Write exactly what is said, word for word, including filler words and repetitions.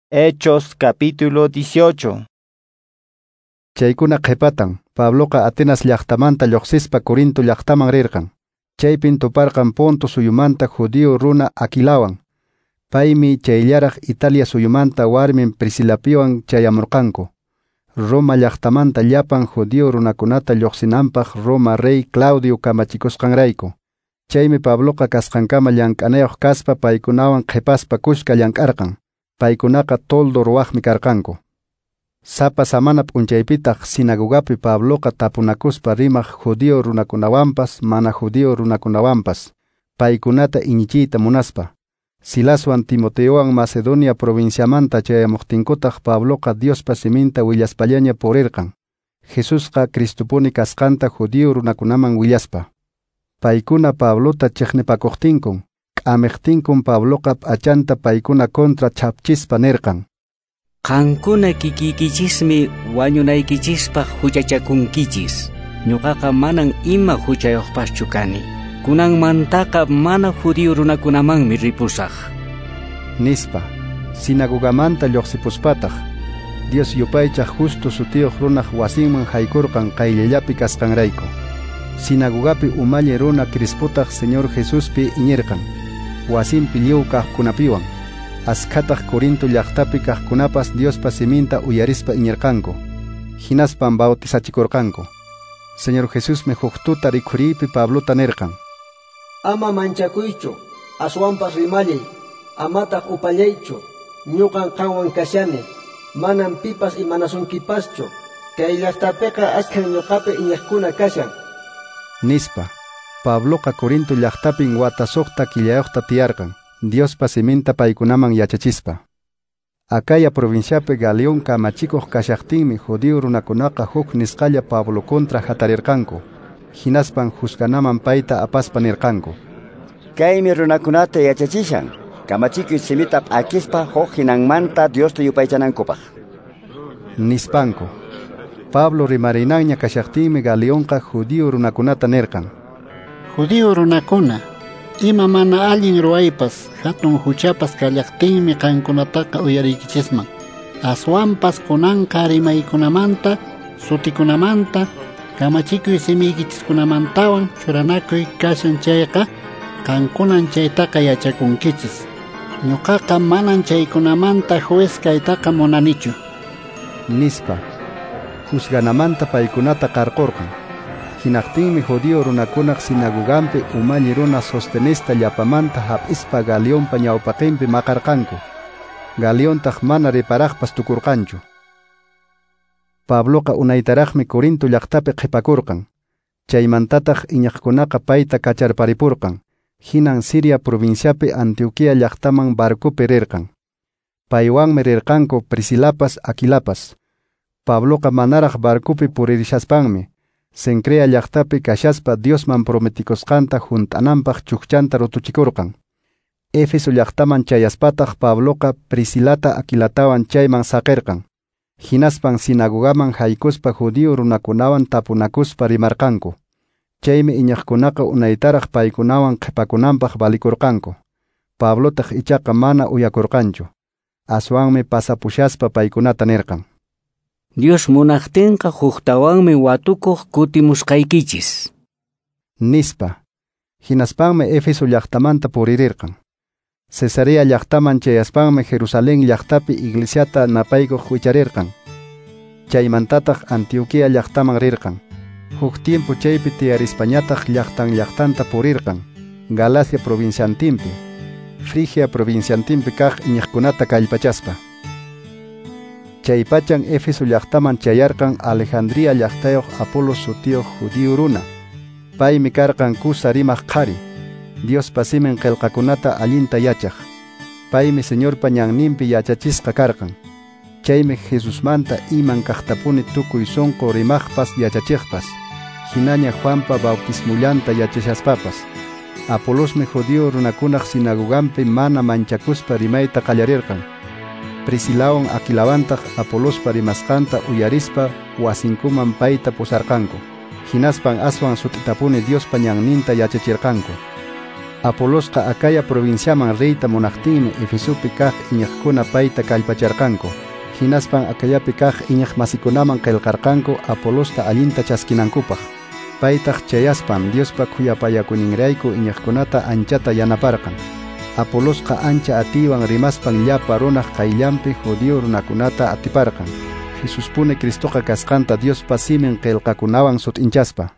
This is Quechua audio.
Hechos capítulo dieciocho. Chaykuna qhipatan, Pabloqa Atenas llaqtamanta lluqsispa Corinto llaqtaman rirqan. Chaypin tuparqan Ponto suyumanta judío runa Aquilawan. Paymi chayllaraq Italia suyumanta warmin Priscilapiwan chayamurqanku. Roma llaqtamanta llapan judío runakunata lluqsinanpaq Roma rey Claudio kamachikusqanrayku. Chaymi Pabloqa kasqankama llank'anayuq kaspa paykunawan qhipaspa kushka llank'arqan. Paykunaqa toldo ruwaqmi karqanku. Sapa samana p'unchaypitaq sinagogapi Pabloqa tapunakuspa rimaq judío runakunawanpas mana judío runakunawanpas, paykunata iñichiyta munaspa. Silaswan Timoteowan Macedonia provinciamanta chayamuqtinkutaq Pabloqa Diospa siminta willaspallaña purirqan. Jesusqa Cristopuni kasqanta judío runakunaman willaspa. Paykuna Pablota chiqnipakuqtinkun, k'amiqtinkun Pabloqa p'achanta paykuna contra chapchispa nirqan: Qankuna kikiykichismi wañunaykichispaq huchachakunkichis. Ñuqaqa manan ima huchayuqpaschu kani. Kunanmantaqa mana judío runakunamanmi ripusaq. Nispa, sinagogamanta lluqsipuspataq, Dios yupaychaq Justo sutiyuq runaq wasinman haykurqan qayllallapi kasqanrayku. Sinagogapi umalli runa Crispotaq Señor Jesuspi iñirqan, wasinpi lliw kaqkunapiwan. Askhataq Corinto llaqtapi kaqkunapas Diospa siminta uyarispa iñirqanku. Hinaspan bautizachikurqanku. Señor Jesusmi huk tuta rikhuriypi Pablota nirqan: Ama manchakuychu, aswanpas rimallay, amataq upallaychu, ñuqan qanwan kashani, manam pipas imanasunkipaschu, kay llaqtapiqa askhan ñuqapi iñiqkuna kashan. Nispa, Pabloqa Corinto llaqtapin wata suqta killayuqta tiyarqan, Diospa siminta paykunaman yachachispa. Acaya provinciapi Galión kamachikuq kashaqtinmi judío runakunaqa huk nisqalla Pablo contra hatarirqanku. Hinaspan juzganaman payta apaspa nirqanku: Kaymi runakunata yachachishan, kamachikuy simita p'akispa huk hinanmanta Diosta yupaychanankupaq. Nispanku. Pablo rimarinanña kashaqtinmi Galionqa judío runakunata nirqan: Judío runakuna, ima mana allin ruwaypas, hatun huchapas kallaqtinmi qankunataqa uyariykichisman. Aswanpas kunanqa rimaykunamanta, sutikunamanta, kamachikuy simiykichiskunamantawan churanakuy kashan chayqa, qankunan chaytaqa yachakunkichis. Ñuqaqa manan chaykunamanta juez kaytaqa munanichu. Nispa, juzganamanta paykunata qarqurqan. Hinaqtinmi judío runakunaq sinagogampi umalli runa Sostenesta llapamanta hap'ispa Galionpa ñawpaqinpi maqarqanku. Galiontaq mana riparaqpas tukurqanchu. Pabloqa unaytaraqmi Corinto llaqtapi qhipakurqan. Chaymantataq iñiqkunaqa payta kacharparipurqan. Hinan Siria provinciapi Antioquía llaqtaman barcopi rirqan. Paywanmi rirqanku Priscilapas Aquilapas. Pabloqa manaraq barcopi puririshaspanmi Cencrea llaqtapi kashaspa Diosman prometikusqanta hunt'ananpaq chukchanta rutuchikurqan. Éfeso llaqtaman chayaspataq Pabloqa Priscilata Aquilatawan chayman saqirqan. Hinaspan sinagogaman haykuspa judío runakunawan tapunakuspa rimarqanku. Chaymi iñiqkunaqa unaytaraq paykunawan qhipakunanpaq valikurqanku. Pablotaq ichaqa mana uyakurqanchu. Aswanmi pasapushaspa paykunata nirqan: Dios munaqtinqa huktawanmi watukuq kutimusqaykichis. Nispa. Hinaspanmi Éfeso llaqtamanta puririrqan. Cesarea llaqtaman chayaspanmi Jerusalén llaqtapi iglesiata napaykuq wicharirqan. Chaymantataq Antioquía llaqtaman rirqan. Huk tiempo chaypi tiyarispañataq llaqtan llaqtanta purirqan, Galacia provinciantinpi, Frigia provinciantinpi kaq iñiqkunata kallpachaspa. Chaypachan Éfeso llaqtaman chayarqan Alejandría llaqtayuq Apolos sutiyuq judío runa. Paymi karqan kusa rimaq qhari, Diospa simin qillqakunata allinta yachaq. Paymi Señorpa ñanninpi yachachisqa karqan. Chaymi Jesusmanta iman kaqtapuni tukuy sunqu rimaqpas yachachiqpas. Hinaña Juanpa bautismullanta yachashaspapas. Apolosmi judío runakunaq sinagogampi mana manchakuspa rimayta qallarirqan. Priscilawan Aquilawantaq Apolospa rimasqanta uyarispa wasinkuman payta pusarqanku. Hinaspan aswan sut'itapuni Diospa ñanninta yachachirqanku. Apolosqa Acaya provinciaman riyta munaqtinmi Efesopi kaq iñiqkuna payta kallpacharqanku. Hinaspan Acayapi kaq iñiq masikunaman qillqarqanku Apolosta allinta chaskinankupaq. Paytaq chayaspan Diospa khuyapayakuyninrayku iñiqkunata anchata yanaparqan. Apolosqa ancha atiywan rimaspan llapa runaq qayllanpi judío runakunata atiparqan. Jesuspuni Cristoqa kasqanta Diospa simin qillqakunawan sut'inchaspa.